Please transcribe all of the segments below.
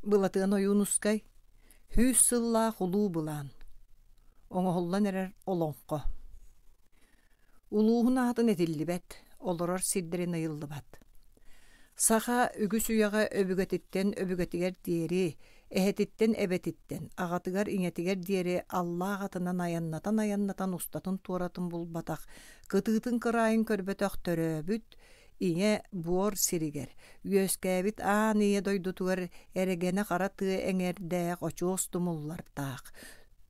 Былатыан Ойуунускай Сүүс сыллаах улуу былаан Оҥоһуллан эрэр олоҥхо Улууһун аатын этиллибэт, олорор сирдэрин ыйыллыбат. Саха үгүс үйэҕэ өбүгэтиттэн өбүгэтигэр диэри, эһэтиттэн эбэтиттэн, аҕатыгар ийэтигэр диэри аллаах атынан айаннатан-айаннатан устатын-туоратын булбатах, кытыытын кыраайын көрбөтөх төрөөбүт, Ийэ буор сиригэр, үөскээбит аан ийэ дойдутугар эрэгэнэ хара тыа эҥэрдээх очуос тумуллардаах,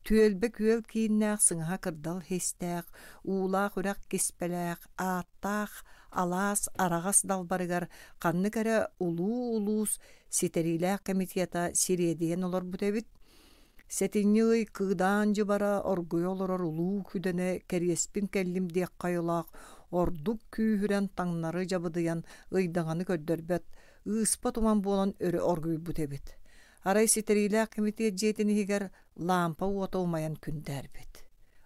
түөлбэ күөл кииннээх сыҥаһа кырдал иһистээх, уулаах үрэх киспэлээх, ааттаах алаас араҕас далбарыгар ханнык эрэ улуу улуус ситэриилээх комитета сириэдийэн олорбут эбит. Сэтинньи ый кыыдаан дьыбара оргуйа олорор улуу күдэнэ кэриэспин кэллим диэххэ айылаах ордук күүһүрэн таҥнары дьабыдыйан ыйдаҥаны көрдөрбөт, ыыспа туман буолан өрө оргуйбут эбит. Арай ситэриилээх кэмитиэт дьиэтин иһигэр лаампа уота умайан күндээрбит.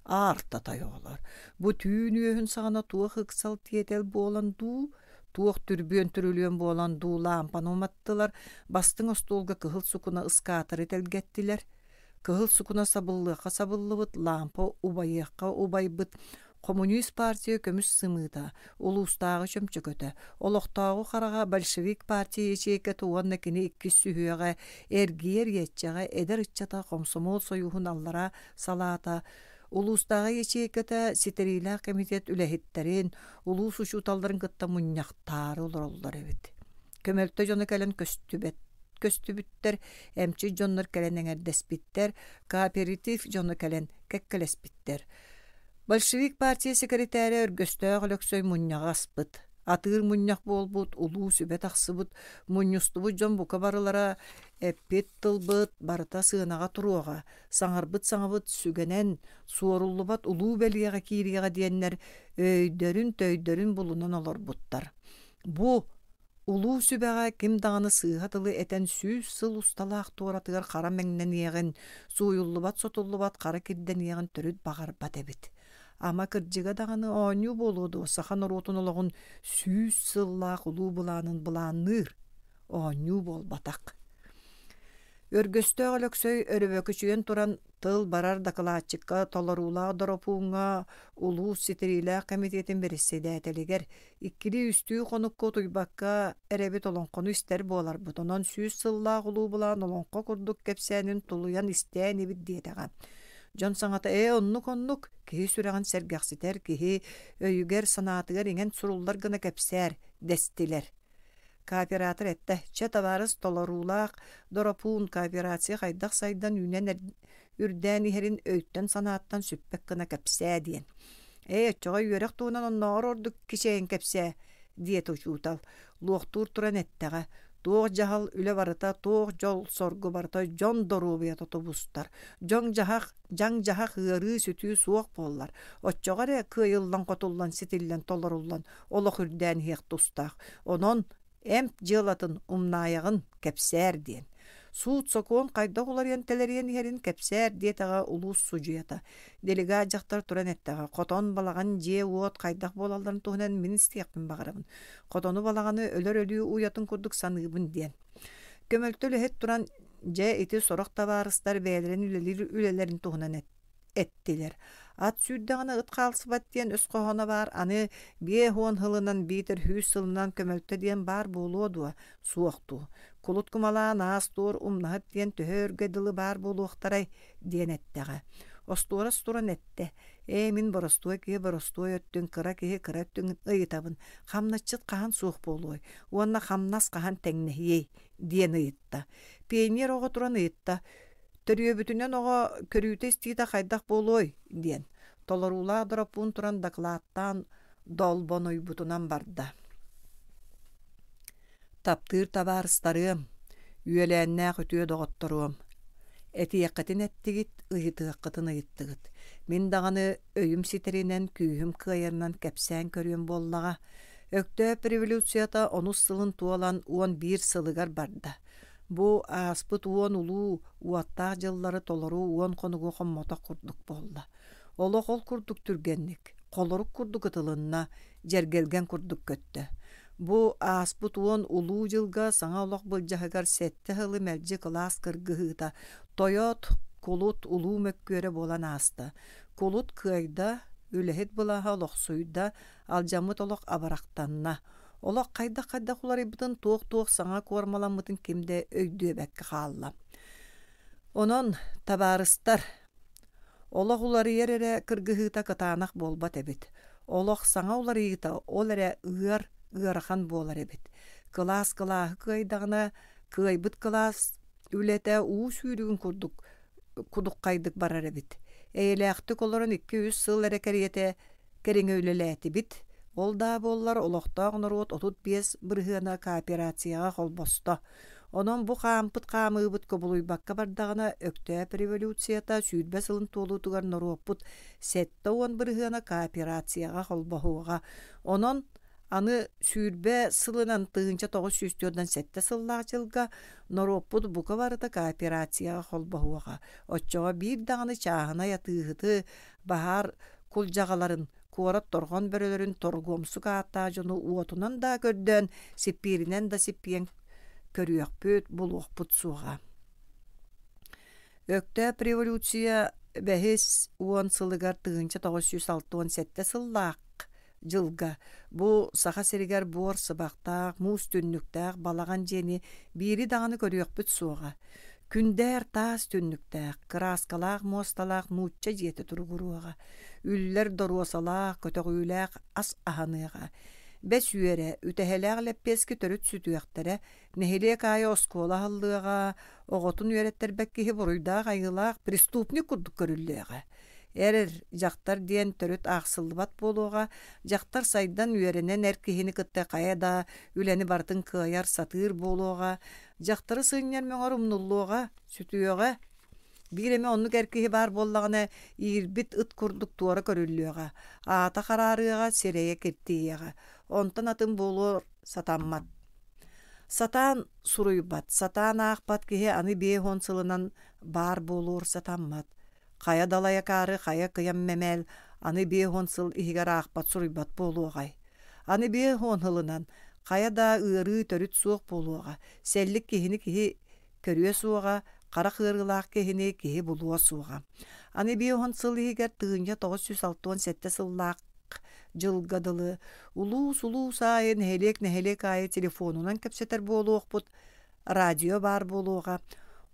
Аарта оҕолор, бу түүн үөһүн саҕана туох ыксал тиэтэл буолан дуу, туох түрбүөн-түрүлүөн буолан дуу лаампаны уматтылар, бастыҥ остуолга кыһыл сукуна ыскаатары тэлгэттилэр. Кыһыл сукуна сабыллыахха сабыллыбыт, лаампа убайыахха убайбыт, Коммунист партия көмүс сымыыта, улуустааҕы чөмчөкөтө, олохтооҕу хараҕа большевик партия ячейката уонна кини иккис сүһүөҕэ эргийэр иэччэҕэ эдэр ыччата хомсомуол сойууһун аллараа салаата улуустааҕы ячейката ситэриилээх комитет үлэһиттэрин, улуус учууталларын кытта мунньахтаары олороллор эбит. Көмөлтө дьоно кэлэн көстүбэт көстүбүттэр, эмчит дьоннор кэлэн эҥэрдэспиттэр, кооператив дьоно кэлэн кэккэлэспиттэр. Большевик партия секретарэ Өргөстөөх Өлөксөй мунньаҕы аспыт. Атыыр мунньах буолбут, улуу сүбэ тахсыбыт, мунньустубут дьон бука барылара эппит тылбыт барыта сыанаҕа туруоҕа, саҥарбыт саҥабыт сүгэнэн, суоруллубат улуу бэлиэҕэ киириэҕэ диэннэр өйдөрүн-төйдөрүн булунан олорбуттар. Бу улуу сүбэҕэ ким даҕаны сыыһа тылы этэн 100 сыл усталаах туоратыгар хара мэҥнэниэҕин, сууйуллубат-сотуллубат хара кирдэниэҕин төрүт баҕарбат эбит. Ама кырдьыга даҕаны оонньуу буолуо дуо саха норуотун олоҕун 100 сыллаах улуу былаанын былаанныыр оонньуу буолбатах. Өргөстөөх Өлөксөй өрөбөкүчүйэн туран тыл барар дакылаатчыкка толоруулаах доропууҥҥа улуус ситэриилээх кэмитиэтин бэрэссэдээтэлигэр иккилии-үстүү хонукка утуйбакка эрэбит олоҥхону истэр буоларбыт, онон 100 сыллаах улуу былаан олоҥхо курдук кэпсээнин тулуйан истээн ибит диэтэҕэ. Дьон саҥата ээ оннук-оннук, киһи сүрэҕин сэргэхситэр, киһи өйүгэр-санаатыгар иҥэн суруллар гына кэпсээр дэстилэр. Кооператор эттэ, чэ табаарыс толоруулаах Доропуун кооперация хайдах сайдан үүнэн үрдээн иһэрин өйтөн-санааттан сүппэт гына кэпсээ диэн. Ээ, оччоҕо үөрэх туһунан оннооҕор ордук кичэйэн кэпсээ, диэтэ учуутал. Луохтуур туран эттэҕэ, туох дьаһал үлэ барыта, туох дьол-соргу барыта дьон доруобуйата тубустар. Дьоҥ-дьаһах, дьаҥ-дьаһах ыарыы-сүтүү суох буоллар, оччоҕо эрэ кыайыллан-хотуллан ситиллэн толоруллан олох үрдээн иһиэх тустаах. Онон эмп дьыалатын умнаайаҕын, кэпсээр диэн. Суут-сокуон хайдах уларыйан тэлэрийэн иһэрин кэпсээр диэтэҕэ улуус судьуйата. Делегат дьахтар туран эттэҕэ, хотон, балаҕан, дьиэ-уот хайдах буолалларын туһунан мин истиэхпин баҕарабын. Хотону балаҕаны өлөр өлүү уйатын курдук саныыбын диэн. Көмөлтө үлэһит туран, дьэ ити сорох табаарыстар бэйэлэрин үлэлиир үлэлэрин туһунан эттилэр. Ат сүүрдэҕинэ ыт хаалсыбат диэн өс хоһооно баар, аны 50 сылынан биитэр 100 сылынан көмөлтө диэн баар буолуо дуо, суох дуу. Кулут кумалаан аас-туор умнаһыт диэн төһө өргө дылы баар буолуохтарай диэн эттэҕэ. Остуорас туран эттэ: «Ээ, мин боростуой киһи боростуой өттүн, кыра киһи кыра өттүн ыйытабын. Хамначчыт хаһан суох буолуой уонна хамнас хаһан тэҥнэһиэй?» диэн ыйытта. Пионер оҕо туран ыйытта: Төрүөбүтүнэн оҕо көрүүтэ-истиитэ хайдах буолуой? диэн толоруулаах дороппуун туран дакылааттаан долбонуйбутунан барда. Таптыыр табаарыстарыам, үөлээннээх үтүө доҕотторуом, этиэххитин эттигит, ыйытыаххытын ыйыттыгыт. Мин даҕаны өйүм ситэринэн, күүһүм кыайарынан кэпсээн көрүөм буоллаҕа. Өктөөп революцията онус сылын туолан 11 сылыгар барда. Бу ааспыт уон улуу уоттаах дьыллары толору уон хонугу хоммотох курдук буолла. Олох ол курдук түргэнник, холорук курдук ытылынна, дьэргэлгэн курдук көттө. Бу ааспыт уон улуу дьылга саҥа олох былдьаһыгар сэттэ сылы мэлдьи кылаас кыргыһыыта, тойот, кулут улуу мөккүөрэ буолан ааста. Кулут кыайда, үлэһит былааһа олохсуйда, алдьаммыт олох абырахтанна. Олох хайдах-хайдах уларыйбытын, туох-туох саҥа куормаламмытын ким да өйдүөбэккэ хаалла. Онон, табаарыстар, Олох уларыйар эрэ кыргыһыыта кытаанах буолбат эбит. Олох саҥа уларыйыыта ол эрэ ыар, ыарахан буолар эбит. Кылаас кылааһы кыайдаҕына, кыайбыт кылаас үлэтэ уу сүүрүгүн курдук кудуххайдык барар эбит. Эйэлээхтик олорон икки-үс сыл эрэ кэриэтэ кэриҥэ үлэлээтибит. Ол да буоллар олохтоох норуот 35 бырыһыана кооперацияҕа холбосто. Онон бу хаампыт хаамыыбыт кубулуйбакка бардаҕына, Өктөөп революцията 20 сылын туолуутугар норуоппут 70 бырыһыана кооперацияҕа холбоһуоҕа. Онон аны 20 сылынан 1947 сыллаах дьылга норуоппут бука барыта кооперацияҕа холбоһуоҕа. Оччоҕо биир даҕаны чааһынай атыыһыты, баһаар кулдьаҕаларын, куорат торҕон бөрөлөрүн торгуомсук ааттаах дьону уотунан да көрдөөн, сиппииринэн да сиппийэн көрүөхпүт, булуохпут суоҕа. Өктөөп революция бэһис уон сылыгар 1967 сыллаах дьылга бу Саха сиригэр буор сыбахтаах, муус түннүктээх балаҕан дьиэни биири даҕаны көрүөхпүт суоҕа. Күндээр таас түннүктээх, кырааскалаах муосталаах нуучча дьиэтэ туругуруоҕа, үллэр доруосалаах, көтөҕүүлээх ас аһаныаҕа. Бэс үөрэ, үтэһэлээх лэппиэскэ төрүт сүтүөхтэрэ, нэһилиэк аайы оскуола аһыллыаҕа, оҕотун үөрэттэрбэт киһи буруйдаах айыылаах преступник курдук көрүллүөҕэ. Эр дьахтар диэн төрүт аахсыллыбат буолуоҕа, дьахтар сайдан үөрэнэн эр киһини кытта хайа да үлэни барытын кыайар, сатыыр буолуоҕа, дьахтары сынньар мөҥөр умнуллуоҕа, сүтүөҕэ. Биир эмэ оннук эр киһи баар буоллаҕына, иирбит ыт курдук туора көрүллүөҕэ, аата хараарыаҕа, сирэйэ киртийиэҕэ. Онтон атын буолуо сатаммат. Сатаан суруйбат, сатаан аахпат киһи аны 50 сылынан баар буолуор сатаммат. Хайа далай акаары, хайа кыйам мэмээл аны 50 сыл иһигэр аахпат суруйбат буолуоҕай. Аны 50 сылынан хайа да ыарыы төрүт суох буолуоҕа, сэллик киһини киһи көрүө суоҕа, харах ыарыылаах киһини киһи булуо суоҕа. Аны 50 сыл иһигэр 1967 сыллаах дьылга дылы улуус-улуус аайы, нэһилиэк-нэһилиэк аайы телефонунан кэпсэтэр буолуохпут, радио баар буолуоҕа,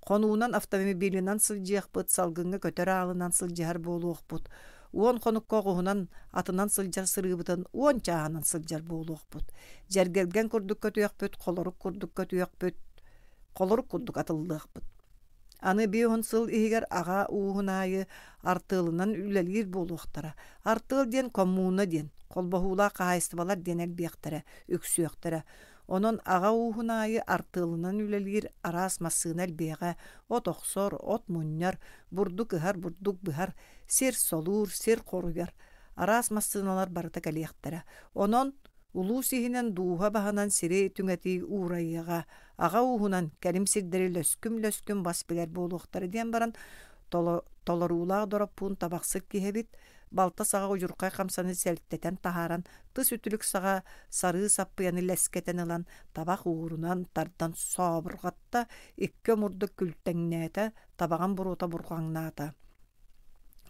хонуунан автомобилынан сылдьыахпыт, салгыҥҥа көтөр аалынан сылдьыһар буолуохпут, уон хонукка оҕуһунан атынан сылдьар сырыыбытын уон чааһынан сылдьар буолуохпут, дьэргэлгэн курдук көтүөхпүт, холорук курдук көтүөхпүт, холорук курдук атыллыахпыт. Аны 50 сыл иһигэр аҕа ууһун аайы артыалынан үлэлиир буолуохтара. Артыал диэн коммуна диэн, холбоһуулаах хаһаайыстыбалар диэн элбиэхтэрэ, үксүөхтэрэ. Онон аҕа ууһун аайы артыалынан үлэлиир араас массыына элбиэҕэ, от охсор, от мунньар, бурдук ыһар, бурдук быһар, сир солуур, сир хоруйар араас массыыналар барыта кэлиэхтэрэ. Онон улуус иһинэн дууһа баһынан сири түҥэтии уурайыаҕа, аҕа ууһунан кэлим сирдэри лөскүм-лөскүм бас билэр буолуохтара диэн баран толоруулаах дороппуун табахсыт киһи эбит, балта саҕа удьурхай хамсаны сэлтэтэн таһааран тыс үтүлүк саҕа сарыы саппыйаны лэскэтэн ылан табах уурунан тардан сообурҕатта, икки омурдук күлтэҥнээтэ, табаҕын буруота бурҕаҥнаата.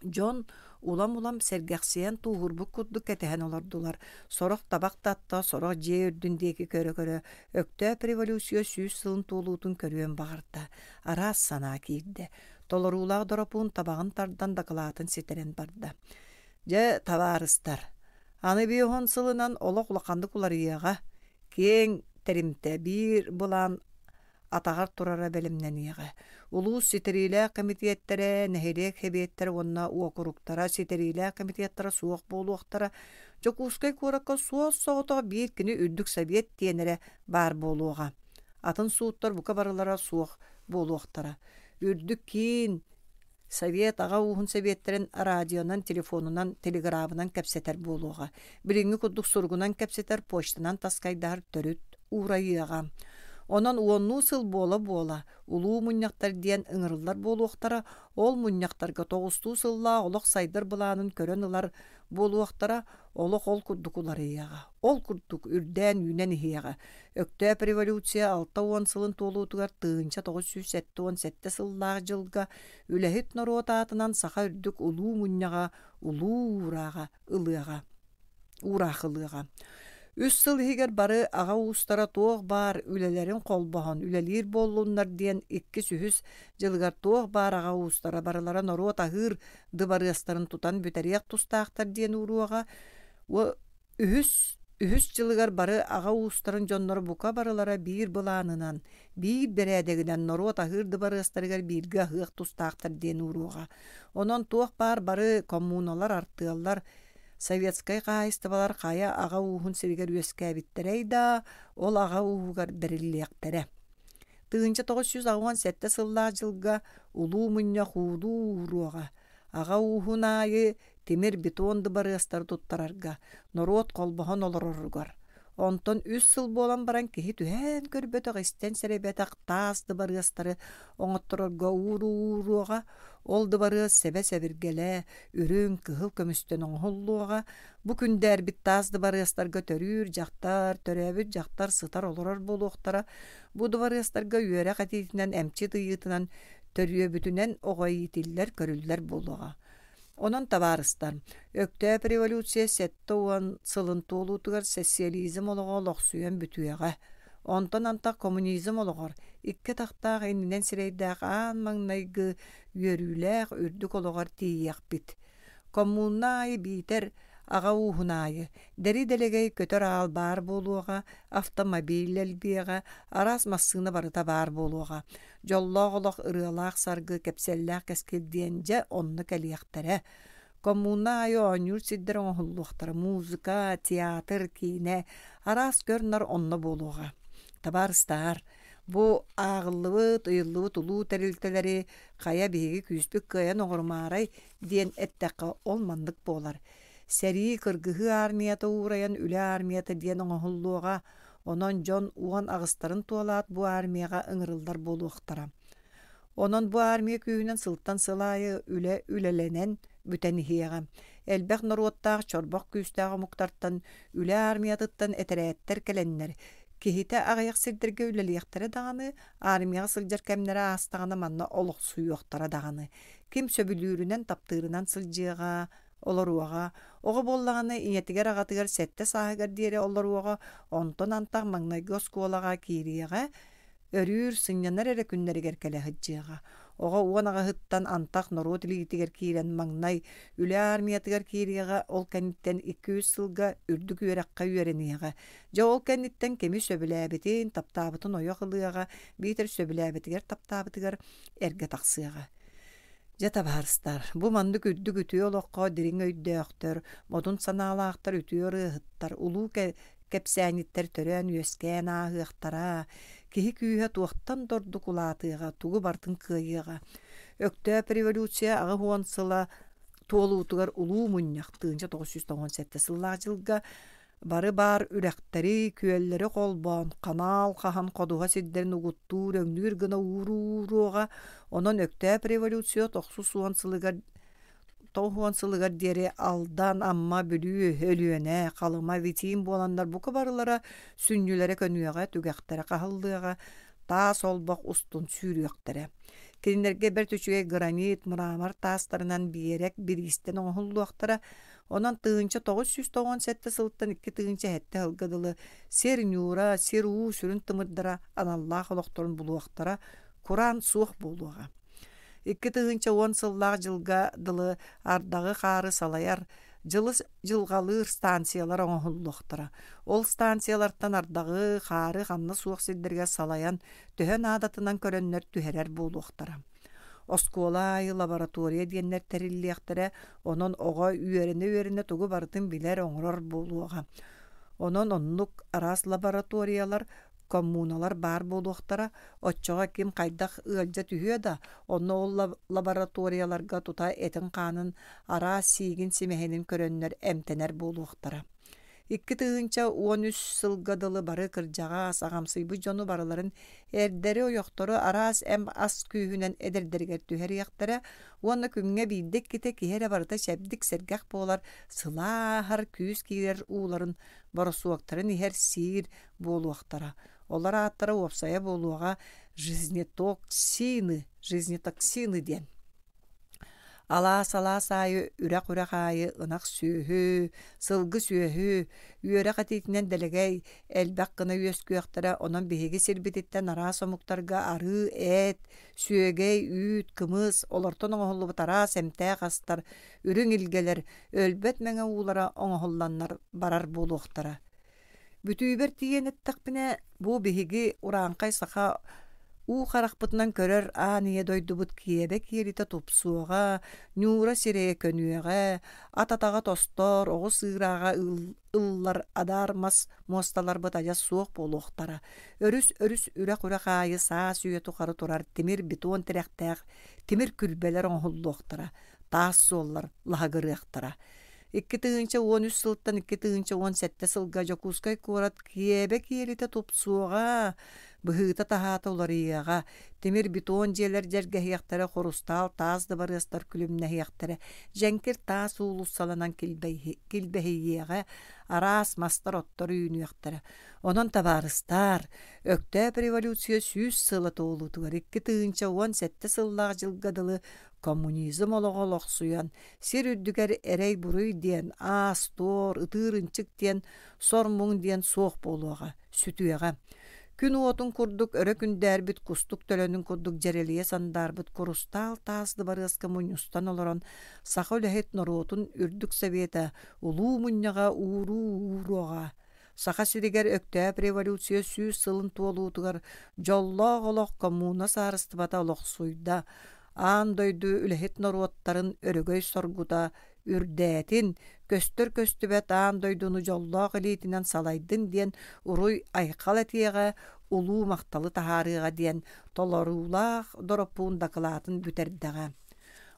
Дьон улам-улам сэргэхсийэн тууһурбут курдук кэтэһэн олордулар. Сорох табах татта, сорох дьиэ үрдүн диэки көрө-көрө Өктөөп революция 100 сылын туолуутун көрүөн баҕарда. Араас санаа киирдэ. Толоруулаах Доропуун табаҕын тардан дакылаатын ситэрэн барда. Дьэ, табаарыстар, аны 50 сылынан олох улаханнык уларыйыаҕа. Киэҥ тэримтэ биир былаан атаҕар турара бэлэмнэниэҕэ. Улуус ситэриилээх кэмитиэттэрэ, нэһилиэк сэбиэттэрэ уонна уокуруктара ситэриилээх кэмитиэттэрэ суох буолуохтара. Дьокуускай куоракка суос-соҕотох биир кини үрдүк сэбиэт диэн эрэ баар буолуоҕа. Атын сууттар бука барылара суох буолуохтара. Үрдүк киин Совет аҕа ууһун сэбиэттэрин радионан, телефонунан, телеграбынан кэпсэтэр буолуоҕа. Билиҥҥи курдук суругунан кэпсэтэр, почтанан таскайдаһар төрүт уурайыаҕа. Онон уоннуу сыл буола-буола улуу мунньахтар диэн ыҥырыллар буолуохтара, ол мунньахтарга тоҕустуу сыллаах олох сайдар былаанын көрөн ылар буолуохтара, олох ол курдук уларыйыаҕа, ол курдук үрдээн-үүнэн иһиэҕэ. Өктөөп революция 60 сылын туолуутугар 1977 сыллаах дьылга үлэһит норуот аатынан саха үрдүк улуу мунньаҕа улуу уурааҕа ылыаҕа уураах ылыаҕа. Үс сыл иһигэр бары аҕа уустара туох баар үлэлэрин холбоһон үлэлиир буоллуннар диэн иккис-үһүс дьылыгар туох баар аҕа уустара барылара норуот аһыыр дыбарыастарын тутан бүтэриэх тустаахтар диэн ууруоҕа. Үһүс үһүс дьылыгар бары аҕа уустарын дьонноро бука барылара биир былаанынан, биир бэрээдэгинэн норуот аһыыр дыбарыастарыгар бииргэ аһыах тустаахтар диэн ууруоҕа. Онон туох баар бары коммуналар, артыаллар, советскай хаһаайыстыбалар хайа аҕа ууһун сиригэр үөскээбиттэрэй да, ол аҕа ууһугар бэриллиэхтэрэ. 1987 сыллаах дьылга Улуу Мунньах уулуу ууруоҕа, аҕа ууһун аайы тимир бетон дыбарыастары туттарарга, норуот холбоһон олороругар. Онтон үс сыл буолан баран киһи түһээн көрбөтөх, истэн сэрэйбэтэх таас дыбарыастары оҥотторорго ууруу-ууруоҕа, ол дыбарыас сэбэ-сэбиргэлэ, үрүҥ, кыһыл көмүстэн оҥоһуллуоҕа. Бу күндээрбит таас дыбарыастарга төрүүр дьахтар, төрөөбүт дьахтар сытар-олорор буолуохтара. Бу дыбарыастарга үөрэх этиитинэн, эмчит ыйыытынан, төрүөбүтүнэн оҕо иитиллэр, көрүллэр буолуоҕа. Онон табаарыстар, Өктөөп революция 70 сылын туолуутугар социализм олоҕо олохсуйан бүтүөҕэ. Онтон антах коммунизм олоҕор икки атахтаах иннинэн сирэйдээх аан маҥнайгы үөрүүлээх үрдүк олоҕор тиийиэхпит. Коммуна аайы биитэр аҕа ууһун аайы дэри-дэлэгэй көтөр аал баар буолуоҕа, автомобиль элбиэҕэ, араас массыына барыта баар буолуоҕа. Дьоллоох олох ырыалаах саргы, кэпсэллээх кэскил диэн дьэ онно кэлиэхтэрэ. Коммуна аайы оонньуур сирдэр оҥоһуллуохтара, музыка, театр, киинэ, араас көр-нар онно буолуоҕа. Табаарыстаар, бу ааҕыллыбыт, ыйыллыбыт улуу тэрилтэлэри хайа биһиги күүспүт кыайан оҥорумаарай диэн эттэххэ ол маннык буолар. Сэрии, кыргыһыы армията уурайан үлэ армията диэн оҥоһуллуоҕа, Онон дьон 18-тарын туолаат бу армияҕа ыҥырыллар буолуохтара. Онон бу армия күүһүнэн сылтан сыл аайы үлэ үлэлэнэн бүтэн иһиэҕэ. Элбэх норуоттаах чорбох күүстээх омуктартан үлэ армиятыттан этэрээттэр кэлэннэр, киһитэ аҕыйах сирдэргэ үлэлиэхтэрэ даҕаны, армияҕа сылдьар кэмнэрэ аастаҕына манна олохсуйуохтара даҕаны. Ким сөбүлүүрүнэн, таптыырынан сылдьыаҕа, олоруоҕа, оҕо буоллаҕына ийэтигэр-аҕатыгар сэттэ сааһыгар диэри олоруоҕа, онтон антах маҥнайгы оскуолаҕа киириэҕэ, өрүүр, сынньанар эрэ күннэригэр кэлэ сылдьыаҕа. Оҕо 18-ттан антах норуот илиитигэр киирэн маҥнай үлэ армиятыгар киириэҕэ, ол кэнниттэн 2-3 сылга үрдүк үөрэххэ үөрэниэҕэ. Дьэ ол кэнниттэн кими сөбүлээбитин, таптаабытын ойох ылыаҕа, биитэр сөбүлээбитигэр таптаабытыгар эргэ тахсыаҕа. Дьэ, табаарыстар, бу маннык үрдүк үтүө олоххо дириҥ өйдөөхтөр, модун санаалаахтар үтүө ырыаһыттар, улуу кэпсээнньиттэр төрөөн-үөскээн ааһыахтара, киһи күүһэ туохтан да ордук улаатыаҕа, тугу барытын кыайыаҕа. Өктөөп революция 80 сыла туолуутугар улуу мунньах 1997 сыллаах дьылга Бары баар үрэхтэри, күөллэри холбоон, ханаал хаһан ходуһа сирдэрин угуттуур, өҥнүүр гына ууруоҕа, онон Өктөөп революция 90 сылыгар 90 сылыгар диэри Алдан, Амма, Бүлүү, Өлүөнэ, Халыма, Витим буоланнар бука барылара сүнньүлэрэ көнүөҕэ, түгэхтэрэ хаһыллыаҕа, таас олбох устун сүүрүөхтэрэ. Кинилэргэ бэрт үчүгэй гранит, мрамор таастарынан биэрэк бириистэн оҥоһуллуохтара, Онон 1997 сылтан 2007 сылга дылы сир ньуура, сир уу сүрүн тымырдара аналлаах олохторун булуохтара, кураан суох буолуоҕа. 2010 сыллаах дьылга дылы ардаҕы-хаары салайар, дьылы дьылҕалыыр станциялар оҥоһуллуохтара. Ол станциялартан ардаҕы, хаары ханна суох сирдэригэр салайан, төһө наадатынан көрөннөр түһэрэр буолуохтара. Оскуола аайы лаборатория диэннэр тэриллиэхтэрэ, онон оҕо үөрэнэ-үөрэнэ тугу барытын билэр, оҥорор буолуоҕа. Онон оннук араас лабораториялар, коммуналар баар буолуохтара, оччоҕо ким хайдах ыалдьа түһүө да, онно ол лабораторияларга тута этин-хаанын араас сиигин-симэһинин көрөннөр эмтэнэр буолуохтара. 2013 сылга дылы бары кырдьаҕас, аҕамсыйбыт дьону барыларын эрдэри-ойохтору араас эм-ас күүһүнэн эдэрдэригэр түһэриэхтэрэ уонна күҥҥэ биирдэ-иккитэ киһи эрэ барыта чэбдик-сэргэх буолар, сылааһар күүс киирэр ууларын, боросуоктарын иһэр-сиир буолуохтара. Олор ааттара уопсайа буолуоҕа жизнетоксины, жизнетоксины диэн. Алаас-алаас аайы, үрэх-үрэх аайы ынах сүөһү, сылгы сүөһү, үөрэх этиитинэн дэлэгэй, элбэх гына үөскүөхтэрэ, онон биһиги сирбититтэн араас омуктарга арыы, эт, сүөгэй, үүт, кымыс, олортон оҥоһуллубут араас эмтээх астар, үрүҥ илгэлэр, өлбөт мэҥэ уулара оҥоһулланнар барар буолуохтара. Бүтүүбэр тиийэн эттэхпинэ, бу биһиги урааҥхай саха уу харахпытынан көрөр аан ийэ дойдубут киэбэ киэлитэ тупсуоҕа, ньуура сирэйэ көнүөҕэ, ат атаҕа тостор, оҕус ыырааҕа ыллар адаар мас муосталарбыт адьас суох буолуохтара. Өрүс-өрүс үрэх-үрэх аайы саас үйэ тухары турар тимир бетон тирэхтээх тимир күрбэлэр оҥоһуллуохтара, таас суоллар лаһыгырыахтара. 2013 сылтан 2017 сылга Дьокуускай куорат киэбэ киэлитэ тупсуоҕа, быһыыта-таһаата уларыйыаҕа, тимир-бетон дьиэлэр дьэргэһиэхтэрэ, хурустаал таас дыбарыастар күлүмнэһиэхтэрэ, дьэҥкир таас уулуссаланан килбэһийиэҕэ, араас мастар-оттор үүнүөхтэрэ. Онон табаарыстаар, Өктөөп революция 100 сыла туолуутугар 2017 сыллаах дьылга дылы коммунизм олоҕо олохсуйан, сир үрдүгэр эрэй-буруй диэн, аас-туор, ытыыр-ынчык диэн, сор-муҥ диэн суох буолуоҕа, сүтүөҕэ. Күн уотун курдук өрө күндээрбит кустук төлөнүн курдук дьэрэлийэ сандаарбыт курустаал таас дыбарыаска мунньустан олорон саха үлэһит норуотун үрдүк сэбиэтэ улуу мунньаҕа ууруу ууруоҕа. Саха сиригэр Өктөөп революция 100 сылын туолуутугар дьоллоох олох коммуна саарыстыбата олохсуйда, аан дойду үлэһит норуоттарын өрөгөй соргута үрдээтин, көстөр-көстүбэт аан дойдуну дьоллоох илиитинэн салайдын диэн уруй-айхал этиэҕэ, улуу махталы таһаарыаҕа диэн толоруулаах Дороппуун дакылаатын бүтэрдэҕэ.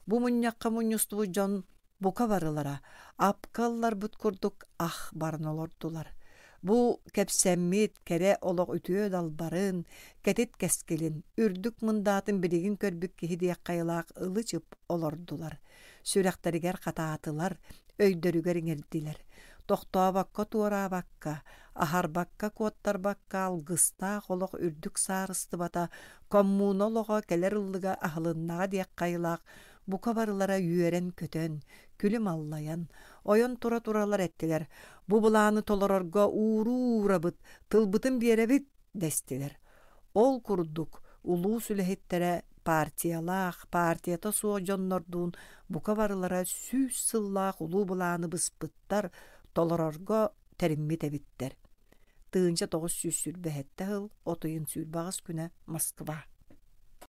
Бу мунньахха мунньустубут дьон Бука барылара апка ылларбыт курдук ах баран олордулар. Бу кэпсэммит кэрэ олох үтүө далбарын, кэтит кэскилин, үрдүк мындаатын билигин көрбүт киһи диэх хайалаах ылы-чып олордулар. Сүрэхтэригэр хатаатылар, өйдөрүгэр иҥэрдилэр. Тохтообокко туораабакка, аһарбакка куоттарбакка алгыстаах олох үрдүк саарыстыбата коммуна олоҕо кэлэр ыллыга аһылыннаҕа диэх хайылаах Бука барылара үөрэн-көтөн, күлүм аллайан, ойон тура-туралар эттилэр: «Бу былааны толорорго ууруу уурабыт, тылбытын биэрэбит» дэстилэр. Ол курдук улуус үлэһиттэрэ партиялаах, партията суох дьоннордуун бука барылара 100 сыллаах улуу былааны быспыттар, толорорго тэриммит эбиттэр. 1927 сыл от ыйын 28 күнэ Москва.